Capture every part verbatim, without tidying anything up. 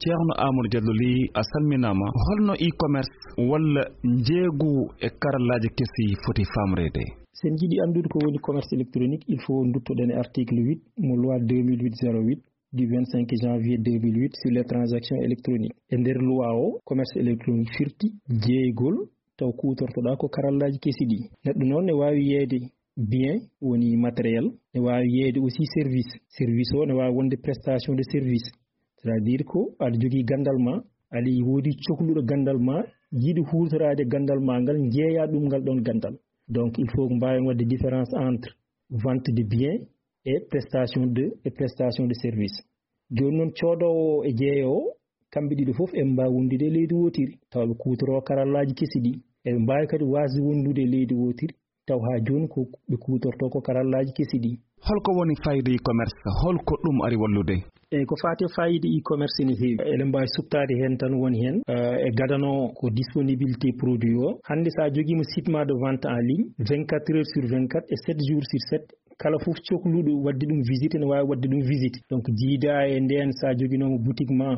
Ceerno Amadou Diallo Ly, a salminaama. Holno e-commerce walla njeeygu e karallaaji kesi foti faamreede? So en njiɗi anndude ko woni commerce électronique, il faut nduttoɗen e article huit mo loi deux mille huit zéro huit du vingt-cinq janvier deux mille huit sur les transactions électroniques. E nder loi o, commerce électronique firti jeeygol taw kuutortoɗaa ko karallaaji kesi ɗi. Neɗɗo noon ne waawi yeeyde bien, woni matériel, ne waawi yeeyde aussi service. Service o ne waawi wonde prestation de service. C'est-à-dire ko aɗa jogii ganndal ma, aɗa woodi cokluɗo ganndal ma, yiɗi huutoraade ganndal ma ngal, njeeya ɗum ngal ɗoon ganndal. Donc, il faut ko mbaawen waɗde différence entre vente de biens et prestation de, et prestation de service. Jooni noon, coodoowo e jeeyoowo, kamɓe ɗiɗo fof eɓe mbaawi wondude e leydi wootiri, tawa ɓe kuutoroo karallaaji kesi ɗi. Eɓe mbaawi kadi waasde wondude e leydi wootiri, taw haa jooni ko ɓe kuutortoo ko karallaaji kesi ɗi. Holko woni faayiida e-commerce? Holko ɗum ari wallude? Eyi, ko faati e faayiida e-commerce ene heewi. Eɗen mbaawi suɓtaade heen tan, woni heen, eh, e gadano ko disponibilité produit o. Hannde, so a jogiima site ma de vente en ligne, vingt-quatre heures sur vingt-quatre et sept jours sur sept, kala fof cokluɗo waɗde ɗum visite, ene waawi waɗde ɗum visite. Donc, jiida e ndeen, so a joginooma boutique ma,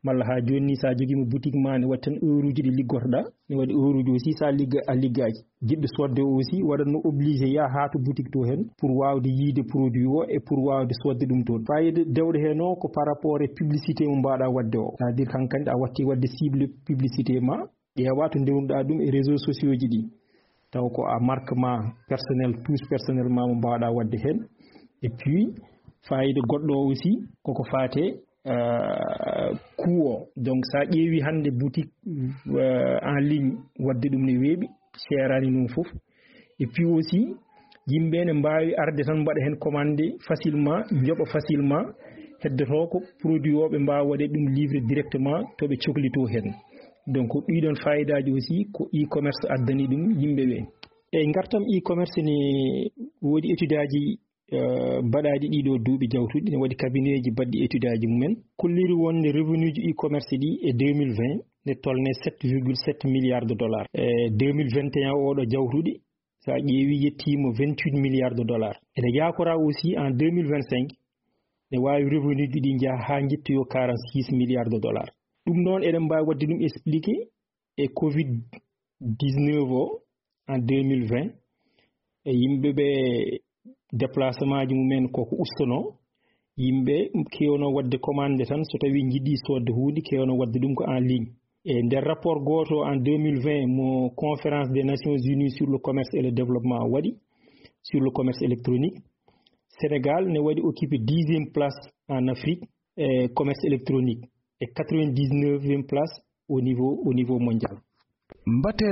malla haa jooni ni, so a jogiima boutique ma, ne waɗi tan heure uji ɗi liggotoɗaa, ne waɗi heure uji aussi, so a ligga-, a liggaaki. Jiɗɗo soodde o aussi, waɗatno obligé yaha haa to boutique to heen pour waawde yiide produit o e pour waawde soodde ɗum toon. Faayiida dewɗo heen o ko par rapport e publicité mo mbaawɗaa waɗde o. C'est-à-dire, hankandi a watti waɗde cible publicité ma, ƴeewa to ndewnuɗaa ɗum e réseaux sociaux ji ɗi. Taw ko a marque ma personnel, touche personnel ma mo mbaawɗaa waɗde heen. Et puis, faayiida goɗɗo o aussi, koko faate, euh, coût o. Donc, so a ƴeewi hannde boutique, euh, en ligne, waɗde ɗum ne weeɓi, seeraani noon fof. Et puis aussi, yimɓe ne mbaawi arde tan mbaɗa heen commande facilement, njoɓa facilement, heddotoo ko produit o ɓe mbaawa waɗde ɗum livrer directement to ɓe coklitoo heen. Donc, ɗii ɗoon faayiidaaji aussi ko e-commerce addani ɗum yimɓe ɓe. E ngartam e-commerce ne woodi étude aji, eh, mbaɗaaɗi ɗii ɗoo duuɓi jawtuɗi, ne waɗi cabinet ji baɗɗi étude aji mumen, kolliri wonde revenu ji e-commerce ɗi e deux mille vingt ne tolnee sept virgule sept milliards de dollars. E deux mille vingt et un oɗo jawtuɗi, so a ƴeewi, yettiima vingt-huit milliards de dollars. Ene yaakoraa aussi en deux mille vingt-cinq, ne waawi revenu ji ɗi njaha haa njettoyoo quarante-six milliards de dollars. Ɗum noon, eɗen mbaawi waɗde ɗum expliqué e covid dix-neuf o en deux mille vingt, e yimɓe ɓe déplacement ji mumen koko ustono, yimɓe keewno waɗde commande tan, so tawi njiɗi soodde huunde, keewno waɗde ɗum ko en ligne. E nder rapport gooto en deux mille vingt mo Conférence des Nations Unies sur le commerce et le développement waɗi, sur le commerce électronique, Sénégal ne waɗi occupé dixième place en Afrique e commerce électronique e quatre-vingt-dix-neuvième place au niveau, au niveau mondial. Mbate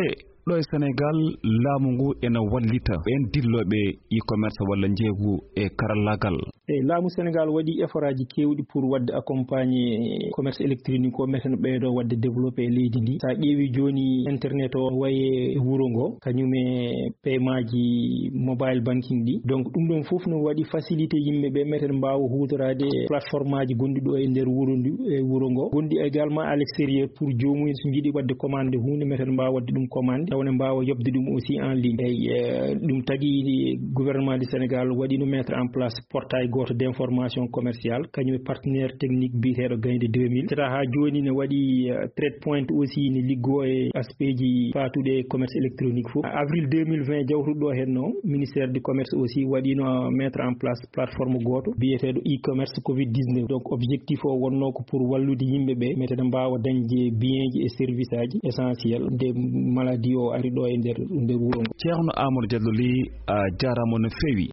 ɗo e Sénégal, laamu ngu ena wallita ɓeen dillooɓe e-commerce walla njeeygu e karallaagal? E laamu Sénégal waɗi effort aji keewɗi pour waɗde accompagner commerce électronique o, meten ɓeydo waɗde développé e leydi ndi. So a ƴeewi jooni, internet o waye e wuro ngo, kañum e paiement ji mobile banking ɗi. Donc, ɗum ɗon fof no waɗi facilité yimɓe ɓe meten mbaawa huutoraade plateforme aji gonɗi ɗo e nder wuro ndu, e wuro ngo. Gonɗi également à l'extérieur pour joomum en so njiɗi waɗde commande huunde, meten mbaawa waɗde ɗum commande, taw ne mbaawa yoɓde ɗum aussi en ligne. Eyi, eh, ɗum tagi gouvernement du Sénégal waɗino mettre en place portail gooto d'information commerciale, kañum e partenaire technique biyeteeɗo Gaynde deux mille. Tata haa jooni ne waɗi, eh, trade point aussi ne liggoo e aspect ji faatuɗi e commerce électronique fof. Avril deux mille vingt jawtuɗo ɗo heen no, ministère du commerce aussi waɗino mettre en place plateforme gooto biyeteeɗo e-commerce covid dix-neuf. Donc, objectif o wonno ko pour wallude yimɓe ɓe, meten mbaawa dañde bienji e service aji essentiel nde maladie o ari ɗo e nder, nder wuro ngo. Ceerno Amadou Diallo Ly, a jaaraama no feewi.